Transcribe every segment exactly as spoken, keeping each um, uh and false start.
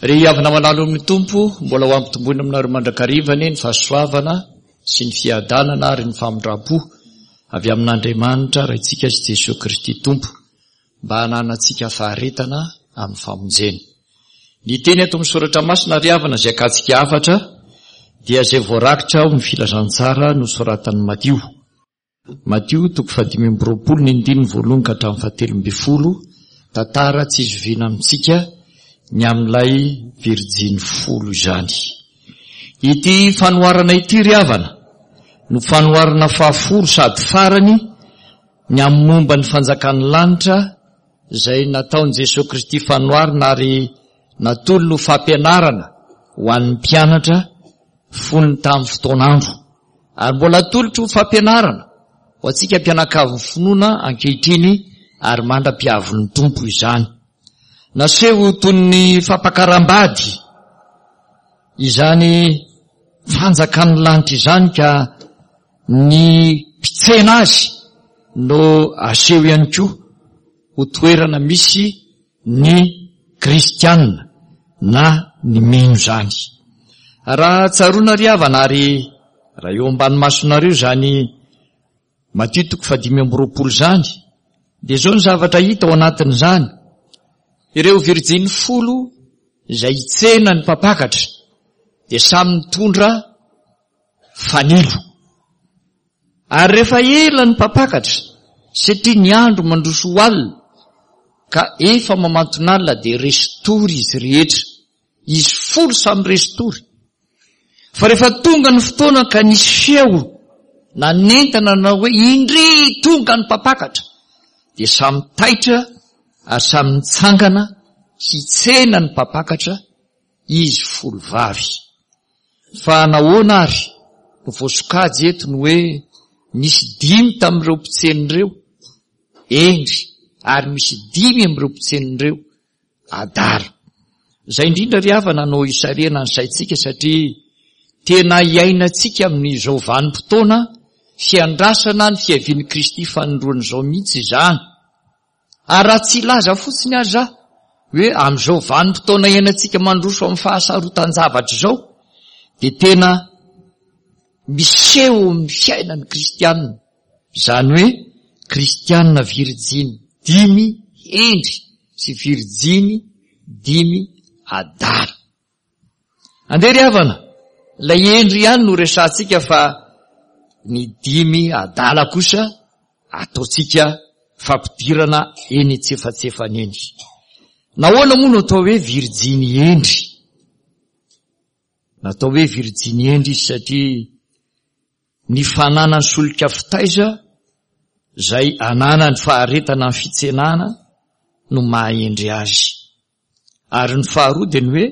Ry havana malala ao amin'ny Tompo, mbola ho ampitomboina aminareo mandrakariva anie ny fahasoavana sy ny fiadanana ary ny famindram-po avy amin'Andriamanitra Raintsika sy Jesoa Kristy Tompo, mba hananantsika faharetana amin'ny famonjena. Ny teny ato amin'ny Soratra Masina ry havana izay akantsika hafatra dia izay voarakitra ao amin'ny Filazantsara nosoratan'i Matio. Matio toko fahadimy amby roapolo ny andininy voalohany ka hatramin'ny fahatelo ambin'ny folo, tantara tsy izoviana amintsika ny amin'ilay virjiny folo izany. Ity fanoharana ity ry havana no fanoharana fahafolo sady farany ny amin'ny momba ny fanjakan'ny lanitra izay nataon'i Jesoa Kristy fanoharana ary natolony ho fampianarana ho an'ny mpianatra fony tamin'ny fotoan'andro. Ary mbola atolotro ho fampianarana ho antsika mpianakavin'ny finoana ankehitriny ary mandra-piavin'ny Tompo izany. Naseho toy ny fampakaram-bady izany fanjakan'ny lanitra izany ka ny mpitsena azy no aseho ihany koa ho toerana misy ny kristiana na ny mino izany. Raha tsaroana ry havana ary raha eo ambany masonareo izany Matio toko fahadimy amby roapolo izany, dia izao ny zavatra hita ao anatin'izany. Ireo virjiny folo izay hitsena ny mpampakatra dia samy nitondra fanilo. Ary rehefa ela ny mpampakatra, satria ny andro mandroso ho alina, ka efa mamanton'alina dia resin-tory izy rehetra. Izy folo samy resin-tory. Fa rehefa tonga ny fotoana ka nisy feo nanentana nanao hoe indry tonga ny mpampakatra, dia samy taitra ary samy nitsangana hitsena ny mpampakatra izy folo vavy. Fa nahoana ary no voasokajy eto ny hoe nisy dimy tamin'ireo mpitsena ireo hendry ary misy dimy amin'ireo mpitsena ireo adala? Izay indrindra ry havana no hisarihana ny saintsika satria tena iainantsika amin'izao vanim-potoana fiandrasana ny fiavian'i Kristy fanindroany izao mihitsy izany. Ary raha tsy hilaza fotsiny aza aho hoe amin'izao vanim-potoana iainantsika mandroso amin'ny fahasarotan-javatra izao dia tena miseho amin'ny fiainan'ny kristianina, izany hoe kristianina virjiny dimy hendry sy virjiny dimy adala. Andeha ry havana, ilay hendry ihany no resahantsika fa ny dimy adala kosa ataontsika fampidirana eny antsefatsefany eny. Nahoana moa no atao hoe virjiny hendry? Natao hoe virjiny hendry izy satria ny fananany solika fitaiza izay ananany faharetana ny fitsenana no maha-hendry azy. Ary ny faharoa dia ny hoe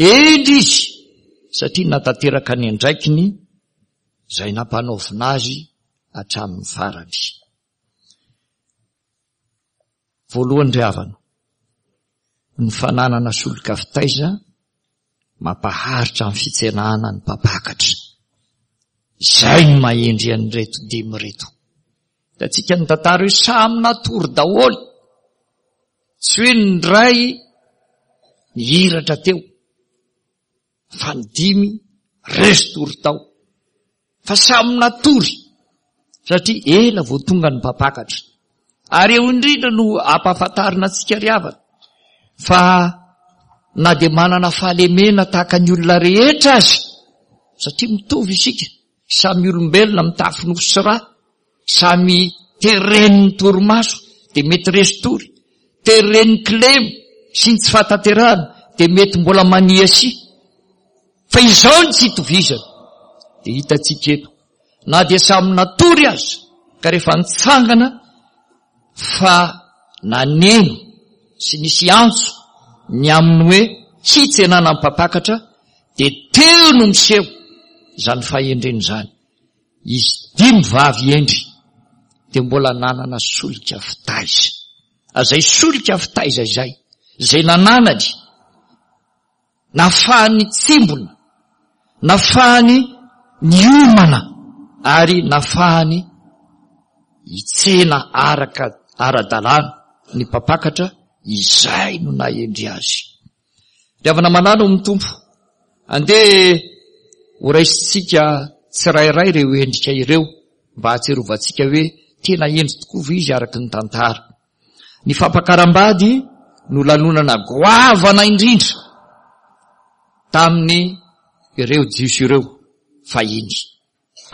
hendry izy satria natanteraka ny andraikiny izay nampanaovina azy hatramin'ny farany. Voalohany ry havana, ny fananana solika fitaiza mampaharitra ny fitsenana ny mpampakatra. Izay no maha-hendry an'ireto dimy ireto. Hitantsika ny tantara hoe samy natory daholo. Tsy hoe ny iray nihiratra teo, fa ny dimy resy tory tao. Fa samy natory, satria ela vao tonga ny mpampakatra. Ary eo indrindra no ampahafantarina antsika ry havana, fa na dia manana fahalemena tahaka ny olona rehetra aza, satria mitovy isika, samy olombelona mitafy nofo sy ra, samy teren'ny torimaso dia mety resy tory, teren'ny kilema sy ny tsy fahatanterahana dia mety mbola maniasia. Fa izao ny tsy itovizana dia hitantsika eto, na dia samy natory aza ka rehefa nitsangana fa naneno sy nisy antso ny amin'ny hoe hitsenana ny mpampakatra dia teo no miseho izany fahendrena izany. Izy dimy vavy hendry dia mbola nanana solika fitaiza. Izay solika fitaiza izay, izay nananany, nafahany tsimbona, nafahany niomana ary nafahany hitsena araka ara-dalàna ny mpampakatra, izay no nahendry azy. Ry havana malala ao amin'ny Tompo, andeha ho raisintsika tsirairay ireo endrika ireo mba hahatsiarovantsika hoe tena hendry tokoa ve izy araka ny tantara. Ny fampakaram-bady no lanonana goavana indrindra tamin'ny ireo Jiosy ireo fahiny.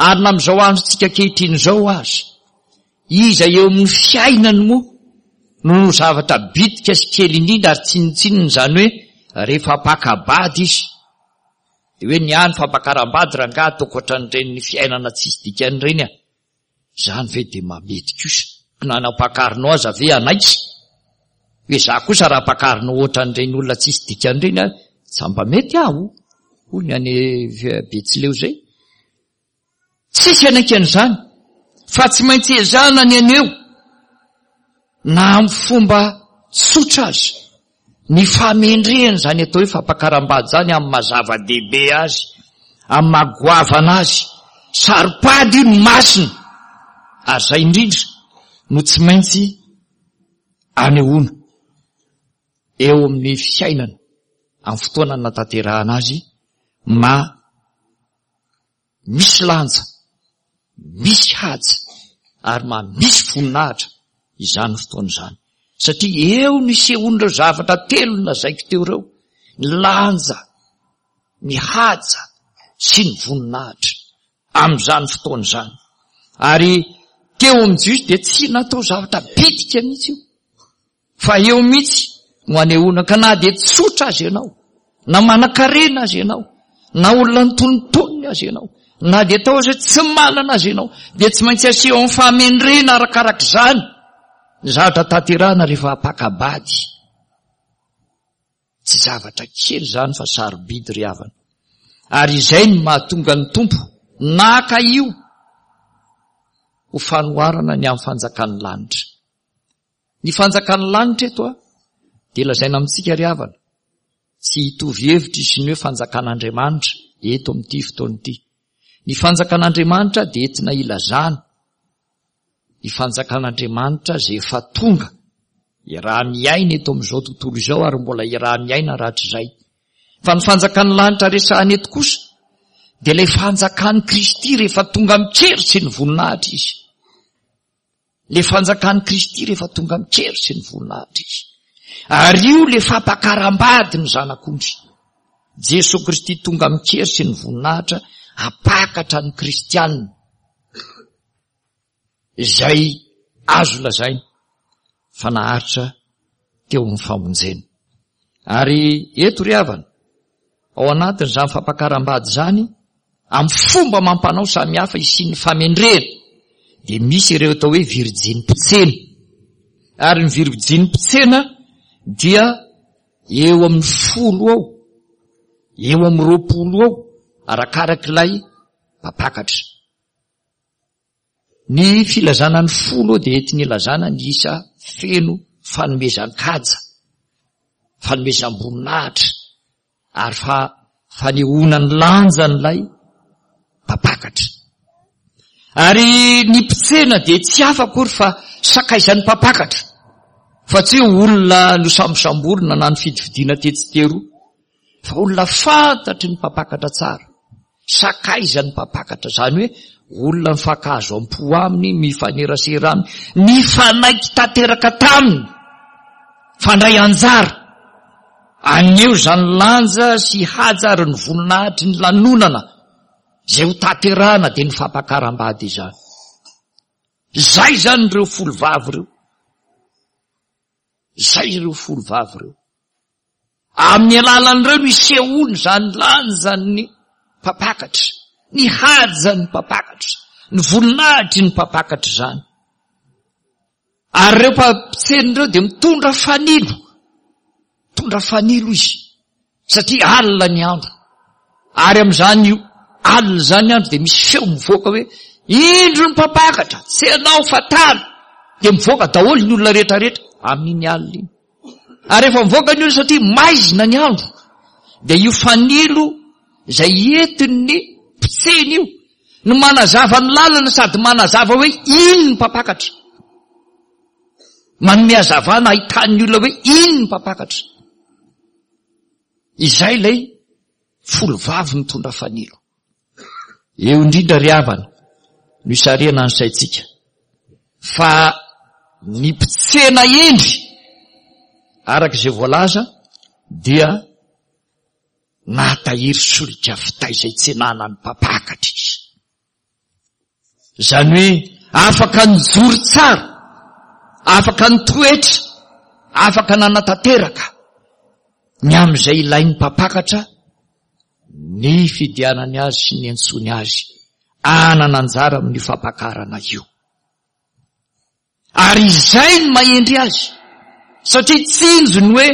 Ary na amin'izao androntsika ankehitriny izao aza, iza eo amin'ny fiainany moa no no zavatra bitika sy kely indrindra ary tsinontsinona izany hoe rehefa hampaka-bady izy. Dia hoe ny ahy ny fampakaram-bady rangahy ataoko ohatran'ireny fiainana tsisy dikany ireny a. Izany ve dia mamety kosa? Na ny ampakarinao aza ve hanaiky? Hoe za kosa raha ampakarinao ohatran'ireny olona tsisy dikany ireny a, tsy mba mety aho, hoy ny any Betsileo izay. Tsisy hanaiky an'izany, fa tsy maintsy ezahana ny haneho na amin'ny fomba tsotra aza ny fahamendrehana izany atao hoe fampakaram-bady izany amin'ny maha zava-dehibe azy, amin'ny maha goavana azy. Saro-pady io ny masina, ary izay indrindra no tsy maintsy anehoana eo amin'ny fiainana amin'ny fotoana natanterahana azy ma misy lanja, misy haja ary ma misy voninahitra izany fotoana izany. Satria eo no isehoan'ireo zavatra telo nolazaiko teo ireo, ny lanja, ny haja sy ny voninahitra amin'izany fotoana izany. Ary teo amin'ny Jiosy dia tsy natao zavatra bitika mihitsy io, fa eo mihitsy no anehoana ka na dia tsotra aza ianao, na manan-karena aza ianao, na olona antonontonony aza ianao, na dia atao aza hoe tsy manana aza ianao, dia tsy maintsy aseho amin'ny fahamendrena arakarak'izany ny zavatra tanterahana rehefa hampaka-bady. Tsy zavatra kely izany fa sarobidy ry havana. Ary izay no mahatonga ny Tompo naka io ho fanoharana ny amin'ny fanjakan'ny lanitra. Ny fanjakan'ny lanitra eto a, dia lazaina amintsika ry havana, tsy hitovy hevitra izy ny hoe fanjakan'Andriamanitra eto amin'ity fotoana ity. Ny fanjakan'Andriamanitra dia entina ilazana ny fanjakan'Andriamanitra izay efa tonga, iaraha-miaina eto amin'izao tontolo izao ary mbola iaraha-miaina rahatrizay. Fa ny fanjakan'ny lanitra resahana eto kosa dia ilay fanjakan'i Kristy rehefa tonga amin-kery sy ny voninahitra izy. Ilay fanjakan'i Kristy rehefa tonga amin-kery sy ny voninahitra izy. Ary io ilay fampakaram-bady ny Zanak'ondry. Jesoa Kristy tonga amin-kery sy ny voninahitra hampakatra ny kristianina izay azo lazaina fa naharitra teo amin'ny famonjena. Ary eto ry havana, ao anatin'izany fampakaram-bady izany, amin'ny fomba amam-panao samihafa hisian'ny famendrehana, dia misy ireo atao hoe virjiny mpitsena. Ary ny virjiny mpitsena dia eo amin'ny folo eo, eo amin'ny roapolo eo, arakarak'ilay mpampakatra. Ny filazana ny folo eo dia entina ilazana ny isa feno fanomezan-kaja, fanomezam-boninahitra, ary fa-, fanehoana ny lanjan'ilay mpampakatra. Ary ny mpitsena dia tsy hafa akory fa sakaizan'ny mpampakatra, fa tsy hoe olona nosambosamborina na nifidifidiana tetsy teroa, fa olona fantatry ny mpampakatra tsara, sakaizan'ny mpampakatra, izany hoe olona mifankahazo am-po aminy, mifanerasera aminy, nifanaiky tanteraka taminy, fandray anjara, aneho izany lanja sy haja ary ny voninahitry ny lanonana izay ho tanterahana dia ny fampakaram-bady izany. Izay izany ireo folo vavy ireo. Izay ireo folo vavy ireo. Amin'ny alalan'ireo no isehoany izany lanjan'ny mpampakatra, ny hajan'ny mpampakatra, ny voninahitry ny mpampakatra izany. Ary ireo mpampitsena ireo dia mitondra fanilo, mitondra fanilo izy, satria alina ny andro. Ary amin'izany alina izany andro dia misy feo mivoaka hoe, indro ny mpampakatra, tsy ianao fa tany. Dia mivoaka daholo ny olona rehetrarehetra amin'iny alina iny. Ary rehefa mivoaka ny olona satria maizina ny andro, dia io fanilo izay entin'ny mpitsena io no manazava ny lalana sady manazava hoe iny ny mpampakatra. Manome hazavana ahitan'ny olona hoe iny ny mpampakatra. Izay ilay folo vavy mitondra fanilo. Eo indrindra ry havana no isarihana ny saintsika fa ny mpitsena hendry araka izay voalaza dia nahatahiry solika finday izay tsenana ny mpampakatra izy. Izany hoe afaka nijoro tsara, afaka nitoetra, afaka nanatanteraka ny amin'izay ilain'ny mpampakatra ny fidianany azy sy ny antsony azy anana anjara amin'ny fampakarana io. Ary izay ny mahendry azy, satria tsinjo ny hoe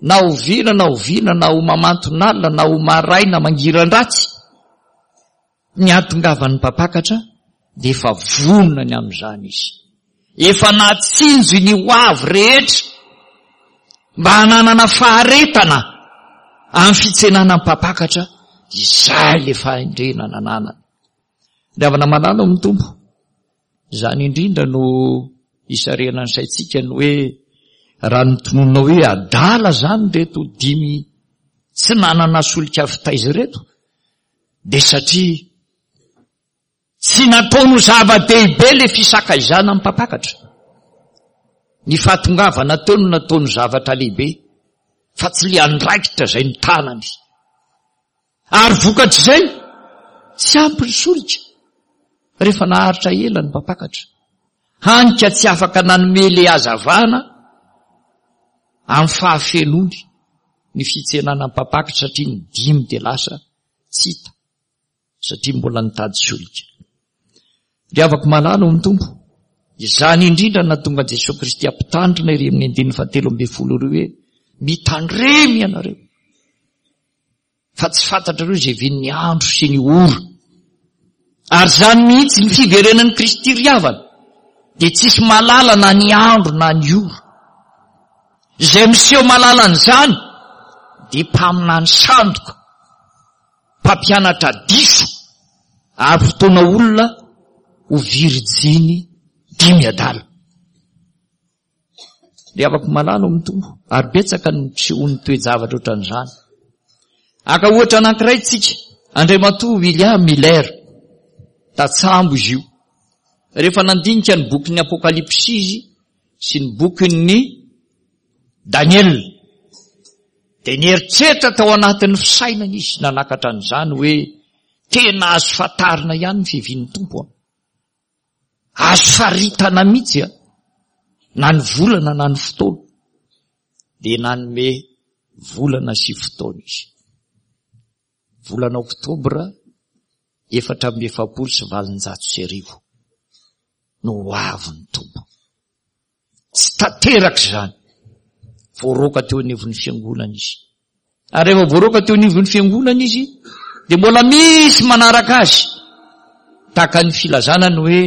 na oviana na oviana na ho mamanton'alina na ho maraina mangiran-dratsy ny hahatongavan'ny mpampakatra dia efa vonona ny amin'izany izy. Efa nahatsinjo ny ho avy rehetra mba hananana faharetana amin'ny fitsenana ny mpampakatra, izay le fahendrena nananany. Ry havana malala ao amin'ny Tompo, izany indrindra no isarihana ny saintsika ny hoe raha notononina hoe adala zany reto dimy tsy nanana solika fitaiza ireto, dia satria tsy nataony ho zava-dehibe le fisakaizana amin'ny mpampakatra. Ny fahatongavana teo no nataony zavatra lehibe fa tsy le andraikitra izay ny tanany. Ary vokatr'izay tsy ampy ny solika rehefa naharitra ela ny mpampakatra. Hany ka tsy afaka nanome le hazavana amin'ny fahafenoany ny fitsenana ny mpampakatra satria ny dimy dia lasa tsy hita satria mbola nitady solika. Ry havako malala ao amin'ny Tompo, izany indrindra nahatonga an'i Jesoa Kristy hampitandrina ery amin'ny andininy fahatelo ambin'ny folo ireo hoe mitandremy ianareo fa tsy fantatrareo izay vin'ny andro sy ny ora. Ary izany mihitsy ny fiverenan'i Kristy ry havana dia tsisy mahalala na ny andro na ny ora. Izay miseho mahalala an'izany dia mpaminany sandoka, mpampianatra diso ary fotoana olona ho virijiny dimy adala. Ry havako malala ao amin'ny Tompo, ary betsaka ny fisehon'ny toe-javatra ohatran'izany. Aka ohatra anankiray tsika, Andriamatoa William Miller, tatsambo izy io. Rehefa nandinika ny bokin'ny Apokalypsy izy sy ny bokin'ny Daniel, dia nieritreritra tao anatin'ny fisainana izy nanakatra an'izany hoe tena azo fantarina ihany ny fiavian'ny Tompo. Azo faritana mihitsy a, na ny volana na ny fotoana. Dia nanome volana sy fotoana izy. Volana oktobra efatra amby efapolo sy valonjato sy arivo no ho avy ny Tompo. Tsy tanteraka izany. Voaroaka teo anivon'ny fiangonana izy. Ary rehefa voaroaka teo anivon'ny fiangonana izy dia mbola misy manaraka azy. Tahaka ny filazana ny hoe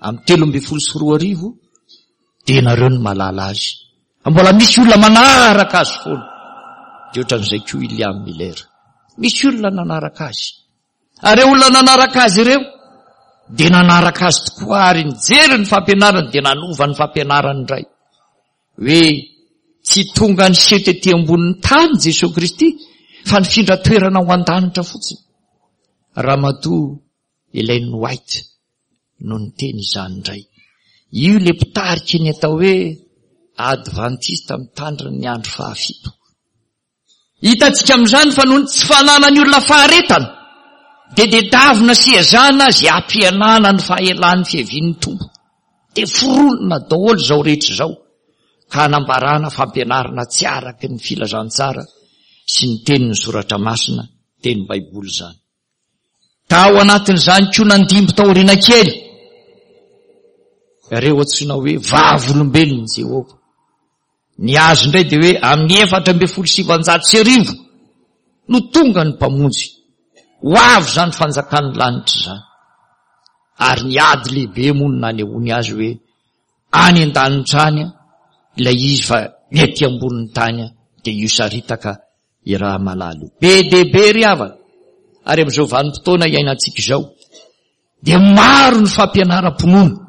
amin'ny telo ambin'ny folo sy roa arivo dia nareo no mahalala azy. Mbola misy olona manaraka azy foana. Dia ohatran'izay koa William Miller. Misy olona nanaraka azy. Ary ireo olona nanaraka azy ireo dia nanaraka azy tokoa ary nijery ny fampianarany dia nanova ny fampianarany indray. Hoe tsy tonga niseho tety ambonin'ny tany Jesoa Kristy fa nifindra toerana ho an-danitra fotsiny. Ramatoa Ellen White no niteny izany indray. Io le mpitarika ny atao hoe Adventista mitandrina ny andro fahafito. Hitantsika amin'izany fa noho ny tsy fananan'ny olona faharetana dia tadiavina sy ezahana izay hampihenana ny fahelan'ny fiavian'ny Tompo. Dia foronina daholo izao rehetra izao ka hanambarana fampianarana tsy araky ny filazantsara sy ny tenin'ny soratra masina, teny Baiboly izany. Tao anatin'izany koa nandimby taoriana kely ireo antsoina hoe vavolombelon'i Jehovah. Ny azy indray dia hoe amin'ny efatra ambin'ny folo sy sivanjato sy arivo no tonga ny mpamonjy. Ho avy izany fanjakan'ny lanitra izany. Ary ny ady lehibe moa no nanehoany azy hoe any an-danitra any ilay izy fa ny aty ambonin'ny tany dia io saritaka i raha malala io. Be dia be ry havana. Ary amin'izao vanim-potoana iainantsika izao dia maro ny fampianaram-pinoana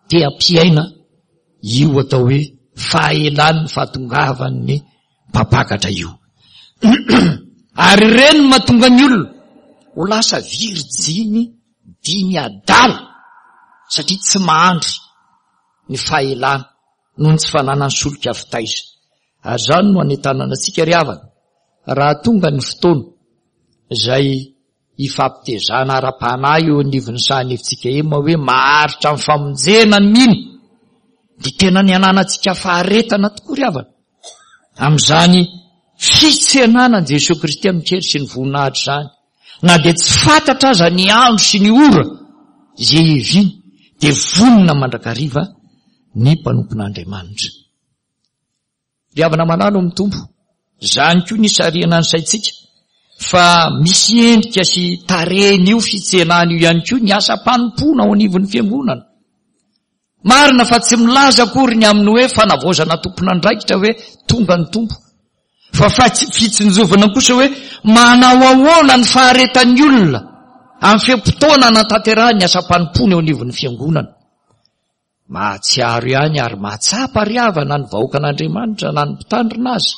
te hampiaina io atao hoe fahelan'ny fahatongavan'ny mpampakatra io. Ary ireny no mahatonga ny olona ho lasa virjiny dimy adala, satria tsy mahandry ny fahelana noho ny tsy fananany solika fitaiza. Ary izany no anentanana antsika ry havana, raha tonga ny fotoana izay hifampitezana ara-panahy eo anivon'ny sahan'efitsika ema hoe maharitra amin'ny famonjena ny mino, dia tena ny ananantsika faharetana tokoa ry havana amin'izany fitsenana an'i Jesoa Kristy amin-kery sy ny voninahitra izany. Na dia tsy fantatra aza ny andro sy ny ora izay hiaviany, dia vonona mandrakariva ny mpanompon'Andriamanitra. Ry havana malala ao amin'ny Tompo, izany koa ny hisarihana ny saintsika fa misy endrika sy tarehin'io fitsenana io ihany koa ny asam-panompoana ao anivon'ny fiangonana. Marina fa tsy milaza akory ny amin'ny hoe fanavaozana tompon'andraikitra hoe tonga ny Tompo, fa fitsinjovana kosa hoe manao ahoana ny faharetan'ny olona amin'ny fe-potoana anatanterahany ny asam-panompoana eo anivon'ny fiangonana. Mahatsiaro ihany ary mahatsapa ry havana ny vahoakan'Andriamanitra na ny mpitandrina azy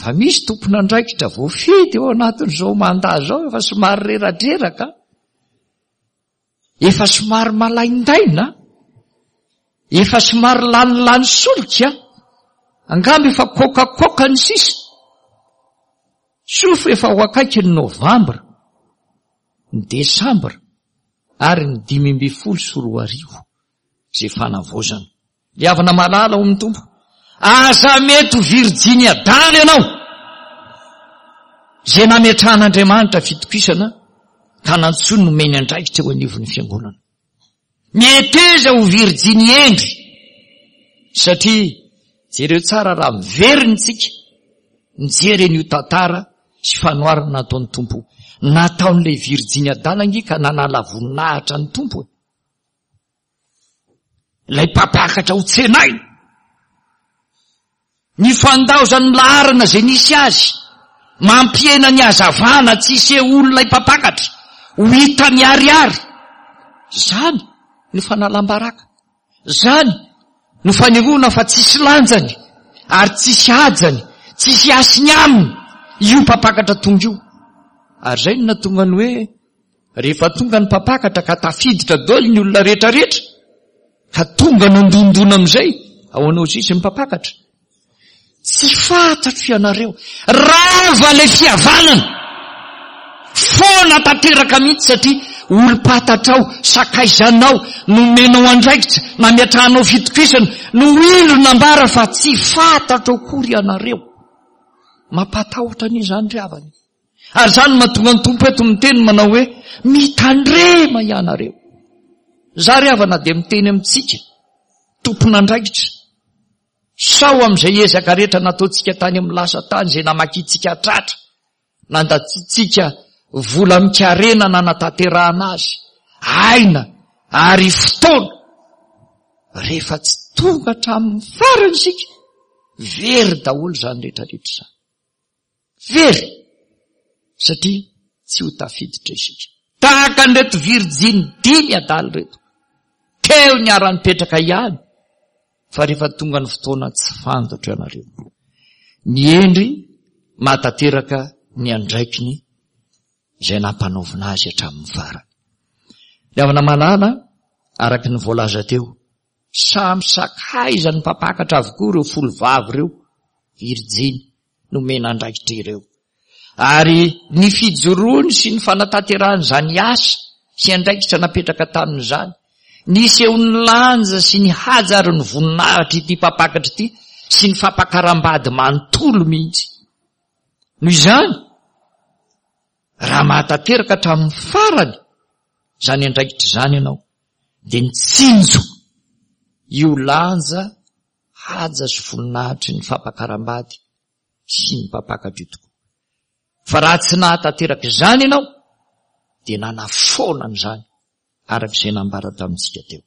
fa misy tompon'andraikitra voafidy eo anatin'izao mandat izao efa somary reradreraka, efa somary malaindaina, efa somary lanilany solika, angamba efa kokakoka ny sisa. Soa efa ho akaiky ny novambra, ny desambra ary ny dimy ambin'ny folo sy roa arivo izay fanavaozana. Ry havana malala ao amin'ny Tompo, aza mety ho virjiny adala ianao izay nametrahan'Andriamanitra fitokisana ka nantsoiny nomeny andraikitra eo anivon'ny fiangonana. Meteza ho virjiny hendry, satria jereo tsara raha miverina isika mijery an'io tantara sy fanoharana nataon'ny Tompo. Nataon'ilay virjiny adala ange ka nanala voninahitra ny Tompo. Ilay mpampakatra ho tsenaina, ny fandaozan'ny laharana izay nisy azy, mampihena ny hazavana tsy hisehoan'ilay mpampakatra, ho hita miharihary. Izany no fanalam-baraka, izany no fanehoana fa tsisy lanjany ary tsisy hajany, tsisy hasiny aminy io mpampakatra tonga io. Ary izay no nahatonga ny hoe rehefa tonga ny mpampakatra ka tafiditra daholo ny olona rehetrarehetra, ka tonga nandondona amin'izay ao anao sisy ny mpampakatra. Tsy fantatro ianareo, rava ilay fihavanana, foana tanteraka mihitsy, satria olom-pantatrao, sakaizanao, nomenao andraikitra, nametrahanao fitokisana, no indro nambara fa tsy fantatro akory ianareo. Mampatahotra anie izany ry havana. Ary izany no mahatonga ny Tompo eto miteny manao hoe mitandrema ianareo. Za ry havana dia miteny amintsika tompon'andraikitra, sao amin'izay ezaka rehetra nataontsika tany amin'ny lasa tany izay namakintsika tratra, nandatsitsika vola mikarena nanatanterahana azy, aina ary fotoana, rehefa tsy tonga hatramin'ny farany isika, very daholo izany rehetrarehetra izany. Very, satria tsy ho tafiditra isika. Tahaka an'ireto virjiny dimy adala ireto, teo niara-nipetraka ihany, fa rehefa tonga ny fotoana tsy fantatro ianareo. Ny hendry mahatanteraka ny andraikiny izay nampanaovina azy hatramin'ny farany. Ny havana malala, araka ny voalaza teo, samy sakaizan'ny mpampakatra avokoa ireo folo vavy ireo, virjiny nomena andraikitra ireo. Ary ny fijoroany sy ny fanatanterahany izany asa sy andraikitra napetraka tamin'izany, nisehon'ny lanja sy ny haja ary ny voninahitra ity mpampakatra ity sy ny fampakaram-bady manontolo mihitsy. Noho izany, raha mahatanteraka hatramin'ny farany izany andraikitra izany ianao, dia nitsinjo io lanja, haja sy voninahitry ny fampakaram-bady sy ny mpampakatra io tokoa. Fa raha tsy nahatanteraka izany ianao, dia nanafoana an'izany araka izay nambara tamintsika teo.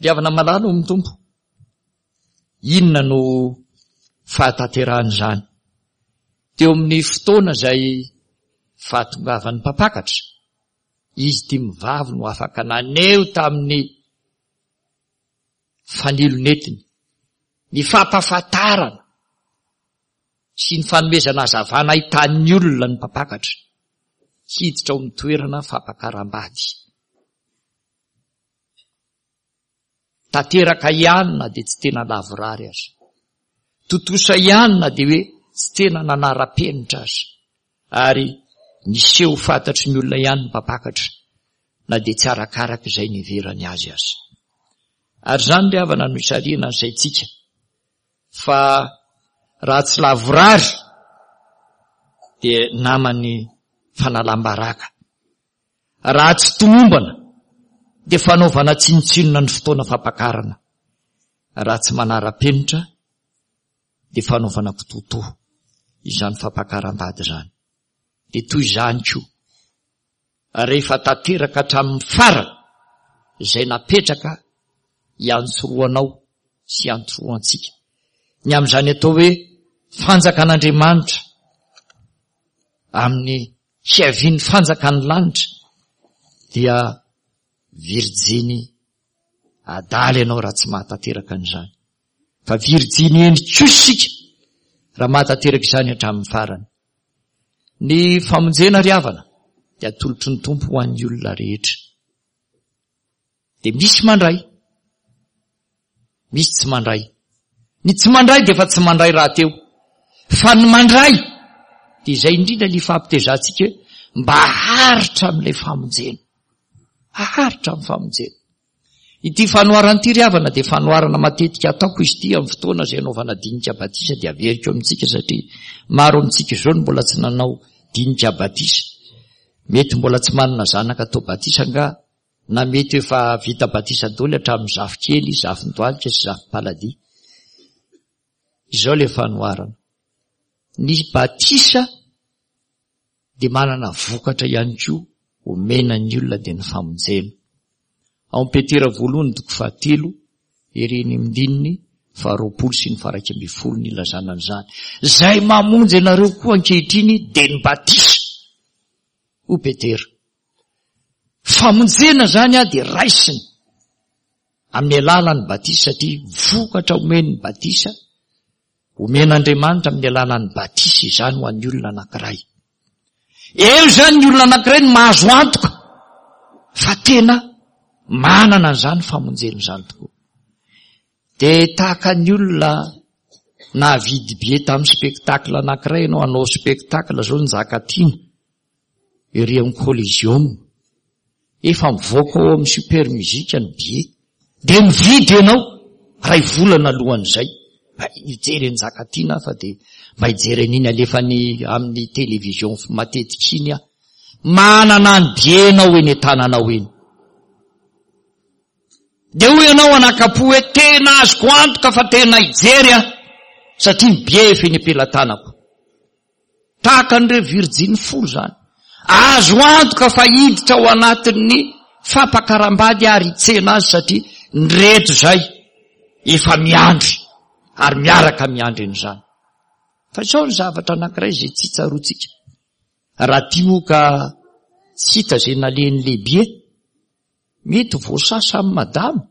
Ry havana malala ao amin'ny Tompo, inona no fahatanterahan'izany? Teo amin'ny fotoana izay fahatongavan'ny mpampakatra, izy dimy vavy no afaka naneho tamin'ny fanilo nentiny ny fampahafantarana sy ny fanomezana hazavana ahitan'ny olona ny mpampakatra hiditra ao amin'ny toerana fampakaram-bady. Tanteraka ihany na dia tsy tena lavorary aza. Tontosa ihany na dia hoe tsy tena nanara-penitra aza. Ary niseho fantatry ny olona ihany ny mpampakatra na dia tsy arakaraka izay niheverany azy aza. Ary izany ry havana no isarihana ny saintsika fa raha tsy lavorary dia naman'ny fanalam-baraka. Raha tsy tomombana dia fanaovana tsinontsinona ny fotoana fampakarana. Raha tsy manara-penitra dia fanaovana kitoatoa izany fampakaram-bady izany. Dia toy izany koa, rehefa tanteraka hatramin'ny farany izay napetraka hiantsorohanao sy hiantsorohantsika ny amin'izany atao hoe fanjakan'Andriamanitra amin'ny fiavian'ny fanjakan'ny lanitra, dia virjiny adala ianao raha tsy mahatanteraka an'izany. Fa virjiny hendry kosa isika raha mahatanteraka izany hatramin'ny farany. Ny famonjena ry havana dia atolotry ny Tompo ho an'ny olona rehetra. Dia misy mandray, misy tsy mandray. Ny tsy mandray dia efa tsy mandray rahateo. Fa ny mandray dia izay indrindra ny fampitezantsika hoe mba haharitra amin'ilay famonjena. Haharitra amin'ny famonjena. Ity fanoharana ity ry havana dia fanoharana matetika ataoko izy ity amin'ny fotoana izay anaovana dinika batisa, dia averiko amintsika satria maro amintsika izao no mbola tsy nanao dinika batisa. Mety mbola tsy manana zanaka atao batisa angaha, na mety efa vita batisa daholo hatramin'ny zafikely, zafindohalika sy zafimpaladia. Izao ilay fanoharana. Ny batisa dia manana vokatra ihany koa omena ny olona, dia ny famonjena. Ao amin'ny Petera voalohany toko fahatelo, ery ny andininy faharoapolo sy ny faha-iraika ambin'ny folo ny ilazana an'izany. Izay mamonjy anareo koa ankehitriny dia ny batisa, hoy Petera. Famonjena izany dia raisiny amin'ny alalan'ny batisa, satria vokatra omen'ny batisa, omen'Andriamanitra amin'ny alalan'ny batisa izany ho an'ny olona anankiray. Eo izany ny olona anankiray no mahazo antoka fa tena manana an'izany famonjena izany tokoa. Dia tahaka ny olona nahavidy billet tamin'ny spectacle anankiray ianao, hanao spectacle zao ny Njakatiana ery amin'ny Coliseum. Efa mivoaka ao amin'ny Super Musique ny billet. Dia mividy ianao ray volana alohan'izay. Mba hijery an'i Njakatiana fa dia mba hijery an'iny alefany amin'ny télévision matetika iny aho. Manana ny billet ianao eny an-tananao eny. Dia hoy ianao anakapo hoe tena azoko antoka fa tena hijery aho satria ny billet efa eny am-pelatanako. Tahaka an'ireo virjiny folo izany. Azo antoka fa hiditra ao anatin'ny fampakaram-bady ary hitsena azy satria ny rehetra izay efa miandry ary miaraka miandry an'izany. Fa izao ny zavatra anankiray izay tsy tsaroantsika. Raha tia moa ka tsy hita izay nalehan'ny lehibe, mety voasasa amin'ny madama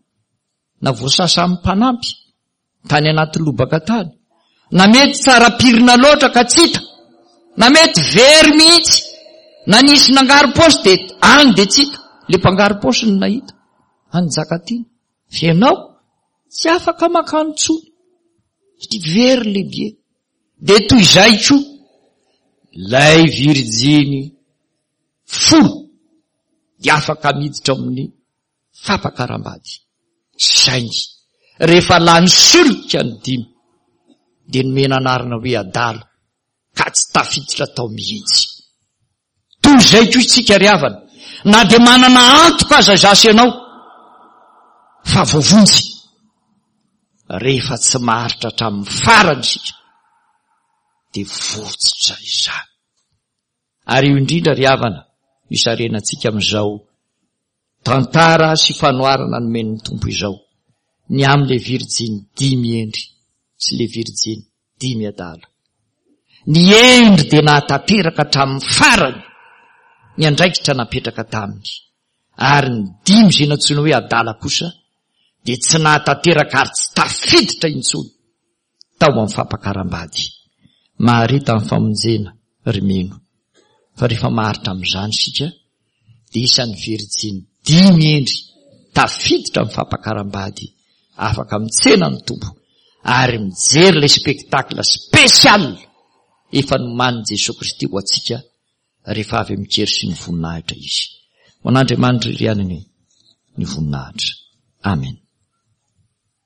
na voasasa amin'ny mpanampy tany anaty lobaka tany, na mety tsara pirina loatra ka tsy hita, na mety very mihitsy, na nisy nangaro-paosy dia any dia tsy hita, le mpangaro-paosy no nahita any Njakatiana. Fa ianao tsy afaka mankany intsony satria very lehibe. Dia toy izay koa ilay virjiny folo dia afaka miditra amin'ny fampakaram-bady, saingy rehefa lany solika ny dimy dia nomena anarana hoe adala ka tsy tafiditra tao mihitsy. Toy izay koa isika ry havana, na dia manana antoka aza izaho sy ianao fa voavonjy, rehefa tsy maharitra hatramin'ny farany isika dia votsitra izany. Ary io indrindra ry havana no isarenantsika amin'izao tantara sy fanoharana nomen'ny Tompo izao, ny amin'ilay virjiny dimy hendry sy ilay virjiny dimy adala. Ny hendry dia nahatanteraka hatramin'ny farany ny andraikitra napetraka taminy, ary ny dimy izay nantsoina hoe adala kosa dia tsy nahatanteraka ary tsy tafiditra intsony tao amin'ny fampakaram-bady. Maharita amin'ny famonjena, ry mino. Fa rehefa maharitra amin'izany isika, dia isan'ny virjiny dimy hendry tafiditra amin'ny fampakaram-bady, afaka mitsena ny Tompo ary mijery ilay spectacle spécial efa nomanin'i Jesoa Kristy ho antsika rehefa avy amin-kery sy ny voninahitra Izy. Ho an'Andriamanitra irery ihany anie ny voninahitra. Amen.